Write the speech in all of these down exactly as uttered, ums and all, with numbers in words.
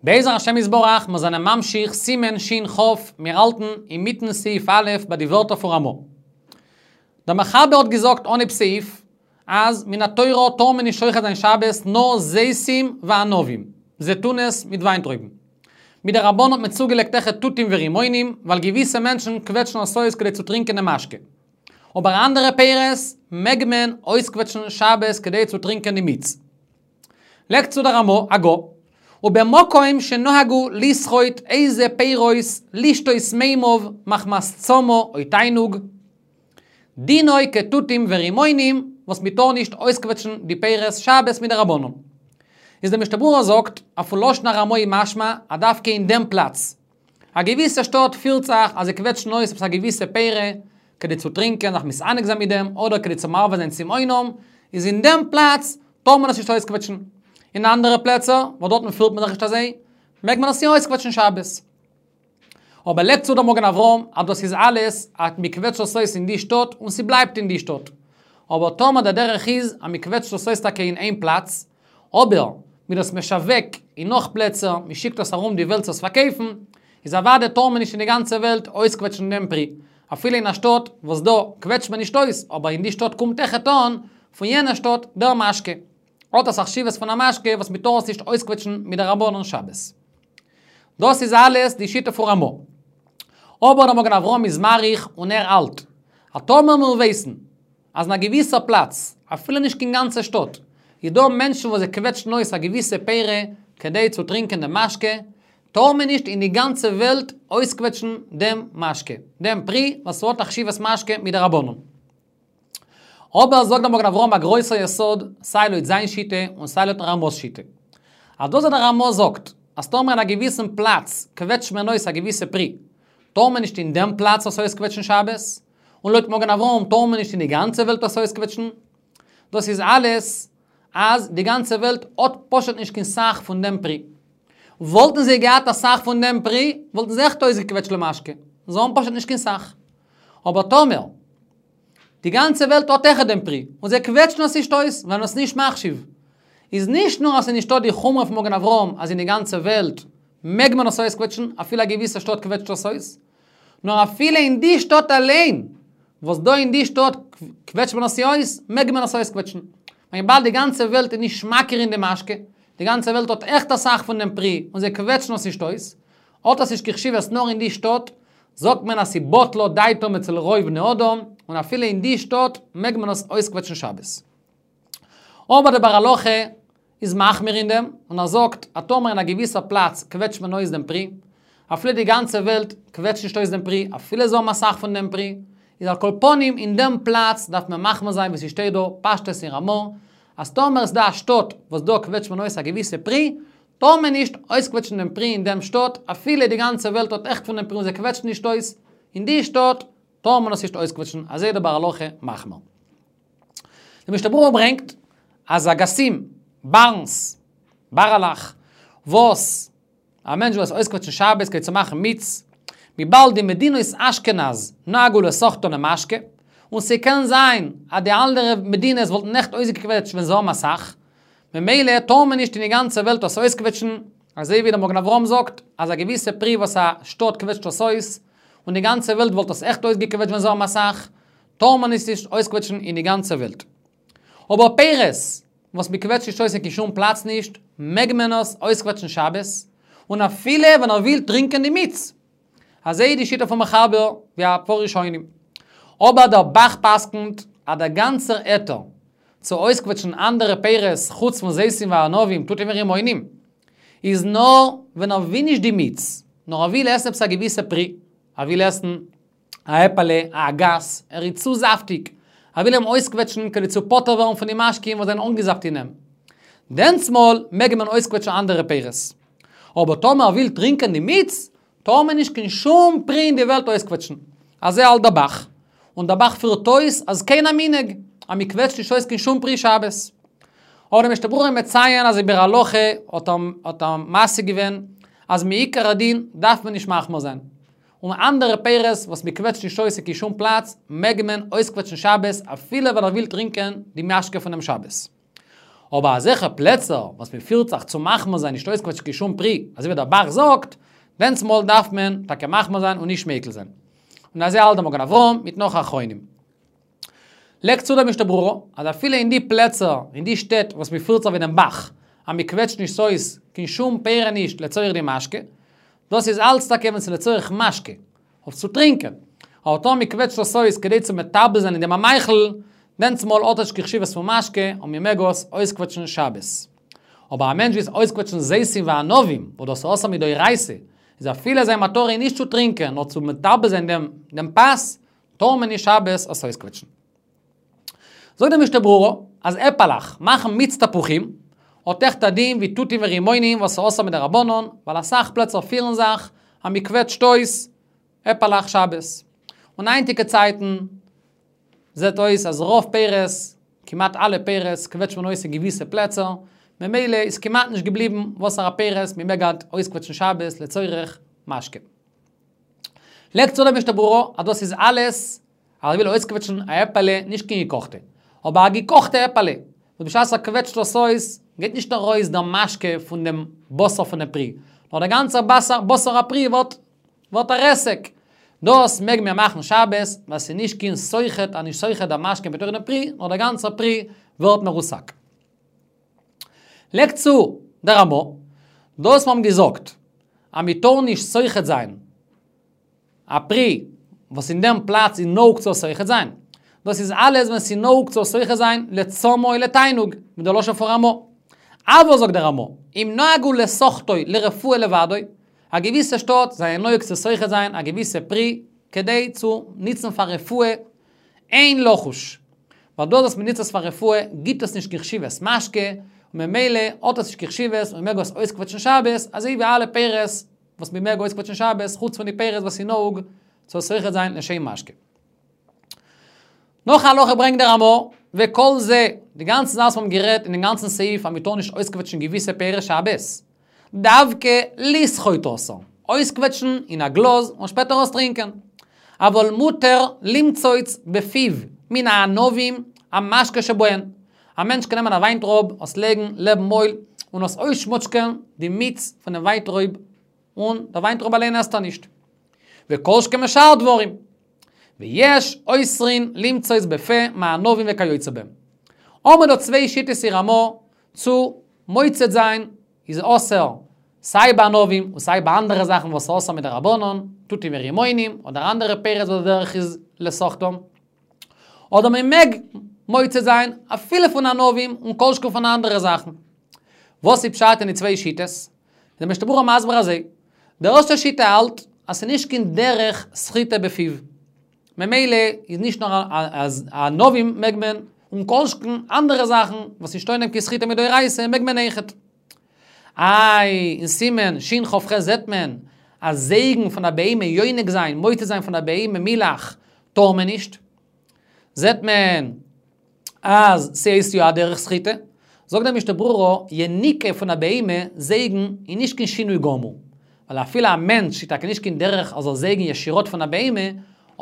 בעזר השם יתברך, מיר זענען ממשיך סימן שין כף, מיר האלטן אינמיטן סעיף א' ביי די ווערטער פון רמא. דער מחבר האט געזאגט אנהייב סעיף, אז מן התורה טאר מען נישט שוחט זיין שבת נאר זיתים וענבים, זיתונות מיט וויינטרויבן. מדרבנן האט מען צוגעלייגט אויכעט תותים ורימונים, ווייל געוויסע מענטשן קוועטשן עס אויס כדי צו טרינקען דעם משקה. אבער אנדערע פירות מעג מען אויסקוועטשן שבת כדי צו טרינקען די מיץ. לייגט צו דער רמא, הגה, ובמקום שנהגו לסחוט איזה פירות לשתות מימיו מחמת צמא או תענוג, דינו כתותים ורימונים, וואס מ'טאר נישט אויסקוועטשן די פירות שבת מדרבנן. איז דער משנה ברורה זאגט, אז פון לשון הרמא איז משמע, אז דווקא אין דעם פלאץ. א געוויסע שטאט פירט זיך אז זיי קוועטשן אויס עפעס א געוויסע פירי, כדי צו טרינקען, זיך מתענג זיין מיט דעם, אדער כדי צו מרווה זיין צמאונם, איז אין דעם פלאץ טאר מען עס נישט אויסקוועטשן. אין אנדערע פלעצער, וואס דארטן פירט מען זיך נישט אזוי, מעג מען עס יא אויסקוועטשן שבת. אבער לייגט צו דער מגן אברהם אז דאס איז אלעס אז מ'קוועטשט עס אויס אין די שטאט און ס'בלייבט אין די שטאט. אבער טאמער דער דרך איז אז מ'קוועטשט עס אויס טאקע אין איין פלאץ, אבער מ'איז דאס משווק אין נאך פלעצער, מ'שיקט עס ארום די וועלט צו עס פארקויפן, איז אוודאי טאר מען נישט אין די גאנצע וועלט אויסקוועטשן דעם פרי. אפילו אין א שטאט וואס דא קוועטשט מען נישט אויס, אבער אין די שטאט קומט אויכעט אן פון יענע שטאט דער משקה. האט עס א חשיבות פון א משקה וואס מ'טאר עס נישט אויסקוועטשן מדרבנן שבת. דאס איז אלעס די שיטה פון רמא. אבער דער מגן אברהם איז מאריך און ער האלט, אז טאמער מיר ווייסן אז אין א געוויסע פלאץ, אפילו נישט קיין גאנצע שטאט, איז דא מענטשן וואס זיי קוועטשן אויס א געוויסע פירי כדי צו טרינקען דעם משקה, טאר מען נישט אין די גאנצע וועלט אויסקוועטשן דעם משקה, דעם פרי וואס האט א חשיבות משקה מדרבנן. אבער זאגט דער מגן אברהם א גרויסער יסוד, סיי לויט זיין שיטה און סיי לויטן רמא'ס שיטה. אז דאס וואס דער רמא זאגט, אז טאמער אין א געוויסן פלאץ קוועטשט מען אויס א געוויסע פרי, טאר מען נישט אין דעם פלאץ עס אויסקוועטשן שבת, און לויט מגן אברהם טאר מען נישט אין די גאנצע וועלט עס אויסקוועטשן. דאס איז אלעס אז די גאנצע וועלט האט פשוט נישט קיין סך פון דעם פרי. וואלטן זיי געהאט א סך פון דעם פרי, וואלטן זיי עכט אויסגעקוועטשט למשקה. זיי האבן פשוט נישט קיין סך. אבער טאמער די גאנצע וועלט האט אויכעט דעם פרי, און זיי קוועטשן עס נישט אויס, ווייל עס נישט מחשיב. איז נישט נאר אז ס'איז נישטא די חומרא פון מגן אברהם אז אין די גאנצע וועלט מעג מען עס אויסקוועטשן, אפילו א געוויסע שטאט קוועטשט עס אויס, נאר אפילו אין די שטאט אליין, וואס דא אין די שטאט קוועטשט מען עס יא אויס, מעג מען עס אויסקוועטשן. וויבאלד די גאנצע וועלט איז נישט מכיר אין די משקה, די גאנצע וועלט האט עכט אסאך פון דעם פרי און זיי קוועטשן עס נישט אויס, האט עס נישט קיין חשיבות נאר אין די שטאט, זאגט מען אז ס'בטלה דעתם אצל רוב בני אדם, און אפילו אין די שטאט מעג מען עס אויסקוועטשן שבת. אבער דער ביאור הלכה איז מחמיר אין דעם, און ער זאגט אז טאמער אין א געוויסע פלאץ קוועטשט מען אויס דעם פרי, אפילו די גאנצע וועלט קוועטשט נישט אויס דעם פרי, אפילו זיי האבן אסאך פון דעם פרי, איז על כל פנים אין דעם פלאץ דארף מען מחמיר זיין ווי ס'שטייט דא פשטות אין רמא, אז טאמער איז דא א שטאט וואס דא קוועטשט מען אויס א געוויסע פרי, טאר מען נישט אויסקוועטשן דעם פרי אין דעם שטאט, אפילו די גאנצע וועלט האט עכט פון דעם פרי און זיי קוועטשן נישט אויס, אין די שטאט טאר מען עס נישט אויסקוועטשן, אזוי איז דער ביאור הלכה מחמיר. די משנה ברורה ברענגט אז אגסים, בארנס, בארעלעך, וואס א מענטש וויל עס אויסקוועטשן שבת כדי צו מאכן מיץ, וויבאלד די מדינות אשכנז נהגו לסחטן למשקה, און ס'קען זיין אז די אנדערע מדינות וואלטן עכט אויסגעקוועטשט ווען זיי האבן אסאך, ממילא טאר מען נישט אין די גאנצע וועלט עס אויסקוועטשן, אזוי ווי דער מגן אברהם זאגט אז א געוויסע פרי וואס א שטאט קוועטשט עס אויס, און די גאנצע וועלט וואלט עס עכט אויסגעקוועטשט ווען זיי האבן אסאך, טאר מען עס נישט אויסקוועטשן אין די גאנצע וועלט. אבער פירות וואס מען קוועטשט נישט אויס אין קיין שום פלאץ נישט, מעג מען עס אויסקוועטשן שבת, און אפילו ווען ער וויל טרינקען די מיץ. אזוי איז די שיטה פון מחבר ווי א פאר ראשונים. אבער דער ב"ח פסק'נט אז דער גאנצער היתר צו אויסקוועטשן אנדערע פירות חוץ פון זיתים וענבים תותים ורימונים, איז נאר ווען ער וויל נישט די מיץ, נאר ער וויל עסן עפעס א געוויסע פרי, ער וויל עסן א עפעלע, א אגס, ער איז צו זאפטיג, ער וויל אים אויסקוועטשן כדי צו פטור ווערן פון די משקים וואס זענען אנגעזאפט אין אים. דענסמאל מעג מען אויסקוועטשן אנדערע פירות. אבער טאמער ער וויל טרינקען די מיץ, טאר מען נישט קיין שום פרי אין די וועלט אויסקוועטשן. אזוי האלט דער ב"ח. און דער ב"ח פירט אויס אז כן המנהג, אז מען קוועטשט נישט אויס קיין שום פרי שבת. אבער דער משנה ברורה מציין אז אין ביאור הלכה האט ער האט ער משיג געווען אז מעיקר הדין דארף מען נישט מחמיר זיין. און אנדערע פירות וואס מען קוועטשט נישט אויס אין קיין שום פלאץ מעג מען אויסקוועטשן שבת אפילו ווען ער וויל טרינקען די משקה פונעם שבת. אבער אזעלכע פלעצער, וואס מען פירט זיך צו מחמיר זיין, נישט אויסקוועטשן קיין שום פרי, אזוי ווי דער ב"ח זאגט, דענסמאל דארף מען טאקע מחמיר זיין און נישט מיקל זיין. און אזוי האלט דער מגן אברהם מיט נאך אחרונים. לייגט צו דער משנה ברורה, אז אפילו אין די פלעצער, אין די שטעט וואס מען פירט זיך ווי דעם ב"ח, אז מען קוועטשט נישט אויס קיין שום פירות נישט לצורך די משקה, דאס איז אלץ טאקע ווען ס'איז לצורך משקה, אויף צו טרינקען. אבער טאמער מען קוועטשט עס אויס כדי צו מטבל זיין אין דעם א מאכל, דענסמאל האט עס נישט קיין חשיבות פון משקה און מען מעג עס אויסקוועטשן שבת. אבער א מענטש וויל אויסקוועטשן זיתים וענבים, וואס דאס איז אסור מדאורייתא, איז אפילו זיין מטרה איז נישט צו טרינקען, נאר צו מטבל זיין דעם דעם פת, טאר מען נישט שבת עס אויסקוועטשן. זאגט דער משנה ברורה, אז עפעלעך מאכן מיץ תפוחים, האט אויכעט א דין ווי תותים ורימונים וואס איז אסור מדרבנן, ווייל אסאך פלעצער פירן זיך אז מען קוועטשט אויס עפעלעך שבת. און היינטיגע צייטן זעט אויס אז רוב פירות, כמעט אלע פירות, קוועטשט מען אויס אין געוויסע פלעצער, ממילא איז כמעט נישט געבליבן וואסערע פירות מען מעג היינט אויסקוועטשן שבת לצורך משקה. לייגט צו דער משנה ברורה אז דאס איז אלעס אז ער וויל אויסקוועטשן א עפעלע, נישט קיין געקאכטע, אבער א געקאכטע עפעלע, וואס בשעת ער קוועטשט דאס אויס, גייט נישט ארויס דער משקה פון דעם בשר פון דעם פרי, נאר דער גאנצער בשר בשר הפרי ווערט ווערט א רסק. דאס מעג מען מאכן שבת, ווייל ס'איז נישט קיין סוחט, א נישט סוחט דער משקה בתוך דעם פרי, נאר דער גאנצער פרי ווערט מרוסק. לייגט צו דער רמא, דאס מיר האבן געזאגט אז מען טאר נישט סוחט זיין א פרי וואס אין דעם פלאץ איז נהוג צו סוחט זיין, דאס איז אלעס ווען ס'איז נהוג צו סוחט זיין לצמא או לתענוג, מיט דער לשון פון רמא. אבל זאגט דער רמא, אם נהגו לסוחטו לרפואה לבדו, א געוויסע שטאט זענען נוהג צו סוחט זיין א געוויסע פרי כדי צו ניצן פאר רפואה, אין לחוש. ווייל דאס וואס מ'ניצט עס פאר רפואה גיבט עס נישט קיין חשיבות משקה, און ממילא האט עס נישט קיין חשיבות און מ'מעג עס אויסקוועטשן שבת, אזוי ווי אלע פירות וואס מ'מעג אויסקוועטשן שבת, חוץ פון די פירות וואס איז נהוג צו סוחט זיין לשם משקה. נאך א הלכה ברענגט דער רמא, וכל זה, די גאנצע זאך וואס מיר האבן גערעדט אין דעם גאנצן סעיף אז מ'טאר נישט אויסקוועטשן געוויסע פירות שבת, דווקא לסחוט אסור, אויסקוועטשן אין א גלאז און שפעטער עס טרינקען. אבל מותר למצוץ בפיו מן הענבים המשקה שבהן. א מענטש קען נעמען א וויינטרויב, עס לייגן לעבן מויל, און עס אויסשמאטשקען די מיץ פונעם וויינטרויב, און דער וויינטרויב אליין עסט ער נישט. וכל שכן משאר דברים. ויש אוסרין למצוץ בפה מענבים וכיוצא בהם. האבן מיר דא צוויי שיטות אין רמא צו מוצץ זיין איז אסור סיי ביי ענבים און סיי ביי אנדערע זאכן וואס איז אסור מדרבנן, תותים ורימונים, אדער אנדערע פירות וואס די דרך איז לסוחטם. אדער מען מעג מוצץ זיין אפילו פון ענבים און כל שכן פון אנדערע זאכן. וואס איז פשט אין די צוויי שיטות? איז דער משנה ברורה מסביר אזוי, די ערשטע שיטה האלט אז ס'איז נישט קיין דרך סחיטה בפיו. ממילא איז נישט נאר אז ענבים מעג מען, און כל שכן אנדערע זאכן וואס נישטא אין דעם קיין סחיטה מדאורייתא מעג מען אויכעט. איי, אין סימן שכ"ח זעט מען אז זייגן פון א בהמה, יונק זיין, מוצץ זיין פון א בהמה מילך, טאר מען נישט. זעט מען אז ס'איז יא א דרך סחיטה. זאגט דער משנה ברורה, יניקה פון א בהמה, זייגן, איז נישט קיין שינוי גמור. ווייל אפילו א מענטש איז טאקע נישט קיין דרך ער זאל זייגן ישירות פון א בהמה,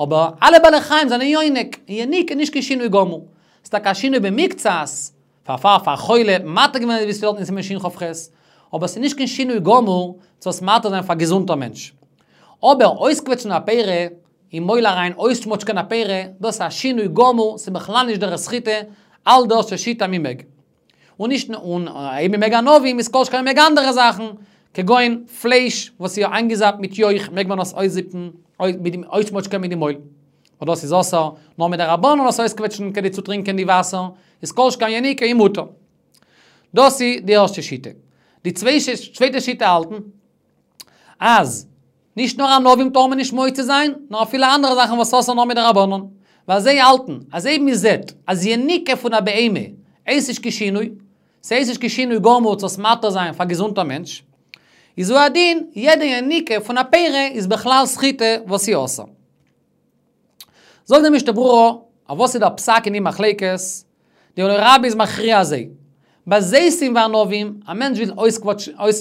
אבער אלע בעלי חיים זענען יונק, און יניקה איז נישט קיין שינוי גמור. ס'איז טאקע א שינוי במקצת, פאר פאר א חולה האט מען מתיר געווען ווי ס'שטייט אין סימן שכ"ח, אבער ס'איז נישט קיין שינוי גמור צו עס מתיר זיין פאר א געזונטער מענטש. אבער אויסקוועטשן א פרי אין מויל אריין אויסשמאטשקען א פרי, דאס איז א שינוי גמור, ס'איז בכלל נישט דרך סחיטה, האלט די ערשטע שיטה מ'מעג. און נישט נאר און אויב מ'מעג ענבים איז כל שכן מ'מעג אנדערע זאכן, כגון פלייש וואס איז איינגעזאפט מיט יויך מעג מען עס אויסזיפן, אויסשמאטשקען מיט די מויל. און דאס איז אסור נאר מדרבנן עס אויסקוועטשן כדי צו טרינקען די וואסער, איז כל שכן יניקה איז מותר. דאס איז די ערשטע שיטה. די צווייטע שיטה האלטן אז נישט נאר ענבים טאר מען נישט מוצץ זיין, נאר אפילו אנדערע זאכן וואס אסור נאר מדרבנן. ווייל זיי האלטן אז אויב מען זעט אז יניקה פון א בהמה הייסט נישט קיין שינוי, ס'הייסט נישט קיין שינוי גמור צו עס מתיר זיין פאר א געזונטער מענטש, איז הוא הדין יעדע יניקה פון א פרי איז בכלל סחיטה וואס איז אסור. זאגט די משנה ברורה, אויף וואס איז דער פסק אין די מחלוקת? די עולא רבה איז מכריע אזוי, ביי זיתים וענבים, א מענטש וויל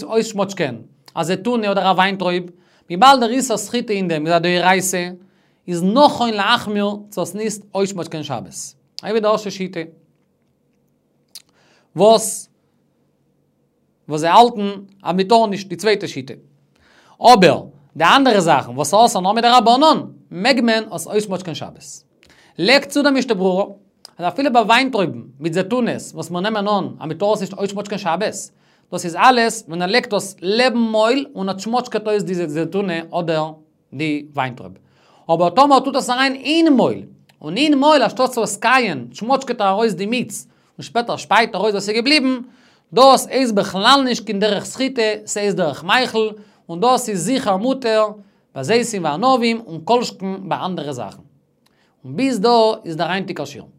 אויסשמאטשקען א זיתונא אדער א וויינטרויב, וויבאלד דער איסור סחיטה אין דעם איז א דאורייתא, איז נכון להחמיר צו עס נישט אויסשמאטשקען שבת. אזוי ווי די ערשטע שיטה. וואס וואס זיי האלטן אז מ'טאר נישט, די צווייטע שיטה. אבער, די אנדערע זאכן, וואס איז אסור נאר מדרבנן, מעג מען עס אויסמאטשקען שבת. לייגט צו דער משנה ברורה, אז אפילו ביי וויינטרויבן מיט זיתונעס, וואס מיר נעמען אן, אז מ'טאר עס נישט אויסמאטשקען שבת, דאס איז אלעס, ווען ער לייגט דאס לעבן מויל און ער שמאטשקעט אויס די זיתונע אדער די וויינטרויב. אבער טאמער טוט עס אריין אין מויל, און אין מויל אנשטאט צו עס קייען, שמאטשקעט ער ארויס די מיץ, און שפעטער שפייט ער ארויס וואס איז געבליבן, דאס איז בכלל נישט קיין דרך סחיטה, ס'איז דרך מאכל, און דאס איז זיכער מותר, ביי זיתים וענבים און כל שכן ביי אנדערע זאכן. און ביז דא איז דער היינטיגער שיעור.